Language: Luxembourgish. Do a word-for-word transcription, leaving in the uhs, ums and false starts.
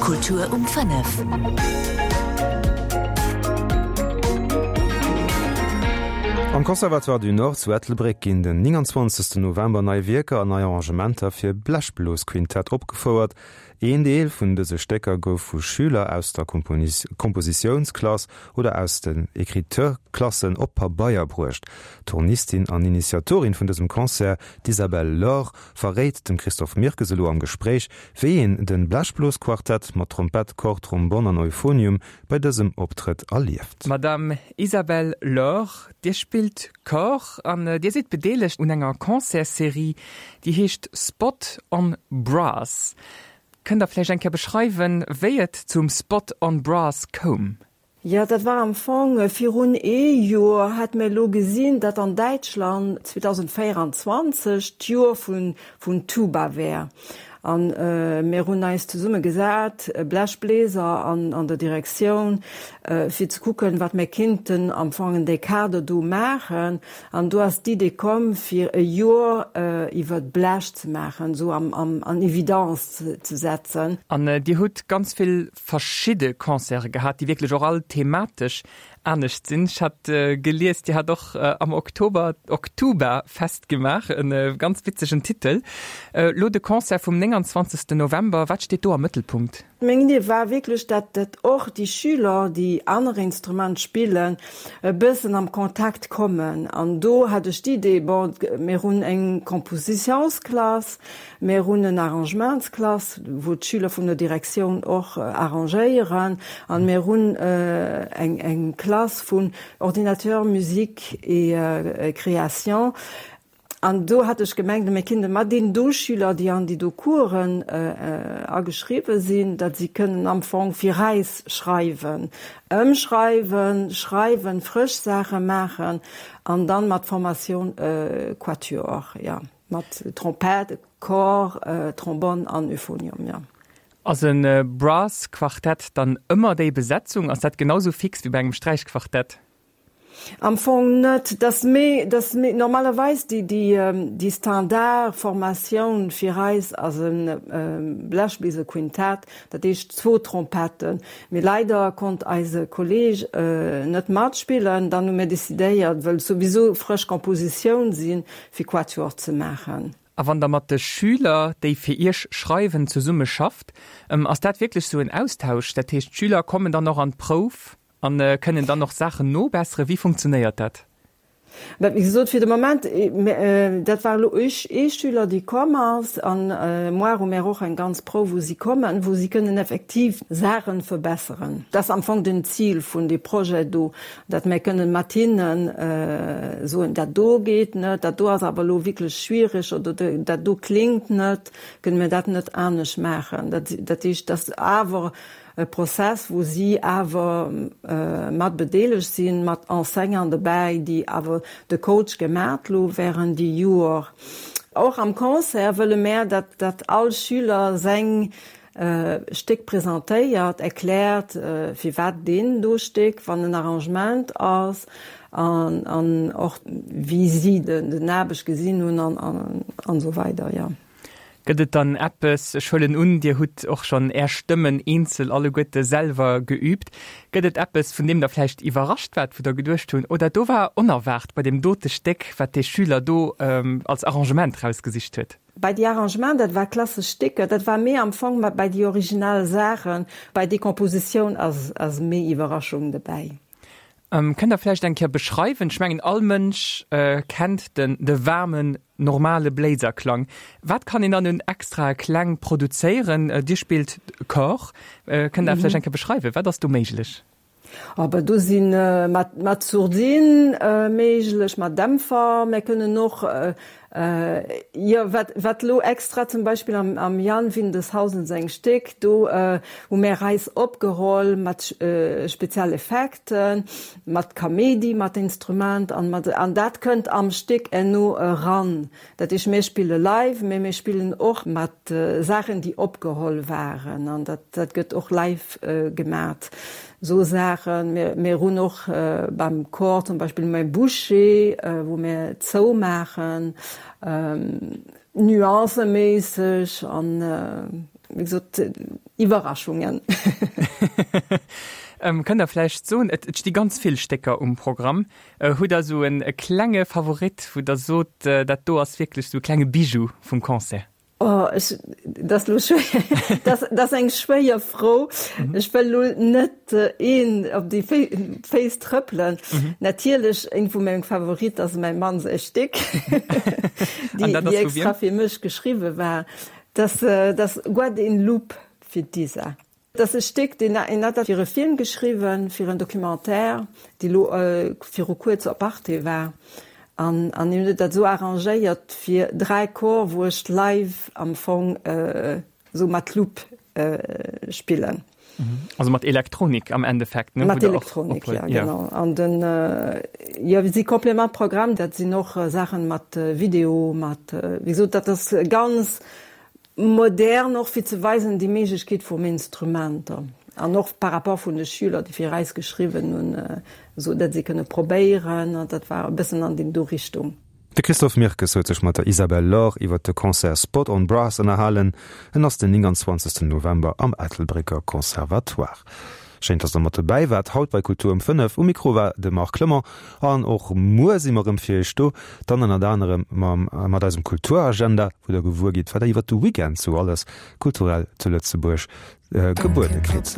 Kultur um fënnef. Am Conservatoire du Nord zu Ettelbréck ginn den nénganzwanzegsten November nei Wierker an nei Arrangementer fir Blechblosquintett opgefouert. Een Deel vun dëse Stécker gouf vu Schüler aus der Kompositiounsklass oder aus den Écriture-Klassen op Pabeier bruecht. D'Hornistin an Initiatorin vun dësem Concert, d'Isabelle Lore, verréit dem Christophe Mirkes elo am Gespréich, wéi een de Blechblosquartett mat Trompett, Cor, Trombonn an Euphonium bei dësem Optrëtt erlieft. Madame Isabelle Lore, Dir spillt Cor an Dir sidd bedeelegt un enger Concertsserie, déi heescht Spot on Brass. Kënnt Der vläicht eng Kéier beschreiwen, wéi et zum Spot on Brass koum? Jo, dat war am Fong virun ee Joer, hat mir elo gesinn, datt an Däitschland zweedausendvéieranzwanzeg d'Joer vun vun Tuba wär. An mir hunn eis zesumme gesat, Blechbläser an an der Direktioun, fir ze kucken, wat mir kinnten am Fong an dee Kader do maachen. An do ass d'Idee komm, fir e Joer iwwer d'Blech ze maachen, esou am am an Evidence ze setzen. An Dir hutt ganz vill verschidde Concerte gehat, déi wierklech och all thematesch anescht sinn. Ech hat gelies, Dir hat och am Oktober d'Oktuba-Fest gemaach, e ganz witzegen Titel. Elo de Concert vum nénganzwanzegsten November, wat steet do am Mëttelpunkt? Meng Idee war wierklech, dat dat och déi Schüler, déi aner Instrument spillen, e bëssen am Kontakt kommen. An do hat ech d'Idee, bon, mir hunn eng Kompositiounsklass, mir hunn en Arrangementsklass, wou d'Schüler vun der Direktioun och arrangéieren, an mir hunn eng eng Klass vun Ordinateur, Musique et Création. An do hat ech gemengt, mir kinnte mat deenen do Schüler, déi an déi do Coursen ageschriwwe sinn, datt si kënnen am Fong fir eis schreiwen, ëmschreiwen, schreiwen, frësch Saache maachen an dann mat Formation Quatuor, jo, mat Trompett, Cor, Trombonn an Euphonium, jo. Ass e Brass-Quartett dann ëmmer déi Besetzung? Ass dat genau sou fix wéi bei engem Sträichquartett? Am Fong net. Dass méi, dass méi normalerweis déi, déi, déi Standardformatioun fir eis ass e Blechbléiserquintett, dat heescht zwou Trompetten. Mee leider konnt eise Kolleg net matspillen. Dann hu mir decidéiert, wëll souwisou frësch Kompositioun sinn, fir Quatuor ze maachen. A wann Der mat de Schüler, déi fir Iech schreiwen, zesumme schafft, ass dat wierklech sou en Austausch? Dat heescht, d'Schüler kommen dann och an d'Prouf a kënnen dann och Saachen nobesseren? Wéi funktionéiert dat? Wéi gesot, fir de Moment, dat war elo ee Schüler, dee komm ass, an muar hu mir och eng ganz Prouf, wou si kommen, wou si kënnen effektiv Saache verbesseren. Dat ass am Fong den Zil vun deem Projet do, datt mir kënnen mat hinnen soen, dat do geet net, dat do ass awer elo wierklech schwiereg oder dat do kléngt net, kënne mir dat net anescht maachen. Dat heescht, dat ass awer e Prozess, wou si awer mat bedeelegt sinn, mat Enseignanten dobäi, déi awer de Coach gemat lo während déi Joer. Och am Concert wëlle mär, datt datt all Schüler seng Stéck presentéiert, erkläert, firwat deen do Stéck, wann en Arrangement ass, an an och wéi si den Aarbecht gesinn hunn an an esou weider, jo. Gëtt et dann eppes, ech huelen un, Dir hutt och schonn Är Stëmmen eenzel alleguerte selwer geüübt, gëtt et eppes, vun deem Der vläicht iwwerrascht waart, wou Der geduecht hunn, oh dat do war onerwaart bei deem dote Stéck, wat dee Schüler do als Arrangement rausgesicht huet? Bei déi Arrangement, dat war klassesch Stécker, dat war méi am Fong bei déi original Saachen, bei déi Kompositioun ass ass méi Iwwerraschung dobäi. Kënnt Der vläicht eng Kéier beschreiwen, ech mengen all Mënsch kennt den de waarmen normale Bléiserklang, wat kann een dann un extrae Kläng produzéieren? Dir spillt Cor, kënnt Der vläicht eng Kéier beschreiwen, wat ass do méiglech? Aber do si mat mat Sourdine méiglech, mat Dämpfer, mir kënnen och Jo, wat, wat elo extra zum Beispill am, am Jan Windeshausen seng Stéck, do hu mär eis opgeholl mat Spezialeffekten, mat Kaméidi, mat Instrument an mat, an dat kënnt am Stéck herno eran. Dat heescht, mir spille live, mee mir spillen och mat Saachen, déi opgeholl waren an dat, dat gëtt och live gemat. Esou Saachen. Mir, mir hunn och beim Chor zum Beispill méi Bouché, wou mir zoumaachen, nuanceméisseg an wéi gesot, Iwwerraschungen. Ähm, kënnt Der vläicht soen, et, et sti ganz vill Stécker um Programm, hutt Der esou en e klenge Favorit, wou Der sot, dat do ass wierklech esou e klenge Bijou vum Concert? Oh, ech, dat ass lo schwéier, dat, dat ass eng schwéier Fro. Ech wëll lo net een op déi Féiss trëppelen. Natierlech, een vu mengem Favorit ass mäi Mann säi Stéck, déi, déi extra fir mech geschriwwe war. Dat, dat ass Guadeloupe fir d'Isa. Dat ass e Stéck, deen en hat dat fir e Film geschriwwen, fir en Documentaire, dee lo viru kuerz op Arte war. An an hien huet dat esou arrangéiert fir dräi Chor, wou ech live am Fong esou mat Loop spillen. Also mat Elektronik am Endeffekt, ne? Mat Elektronik, ja, genau. An den, jo, si Complément Programme, dat sinn och Saachen mat Video, mat, wéi gesot, dat ass ganz modern och fir ze weisen déi Méiglechkeet vum Instrumenter an och par rapport vun de Schüler, déi fir eis geschriwwen hunn, esou datt si kënne probéieren an dat war e bëssen an déi do Richtung. De Christophe Mirkes huet sech mat der Isabelle Lor iwwer de Concert Spot on Brass ënnerhalen. En ass den nénganzwanzegsten November am Ettelbrécker Conservatoire. Schéin, dass der mat dobäi waart haut bei Kultur um fënnef. Um Mikro war de Marc Clement an och muer si mer erëm fir iech do, dann ënnert anerem mam mat eisem Kulturagenda, wou der gewuer gitt, wat der iwwert de Weekend sou alles kulturell zu Lëtzebuerg gebuede kritt.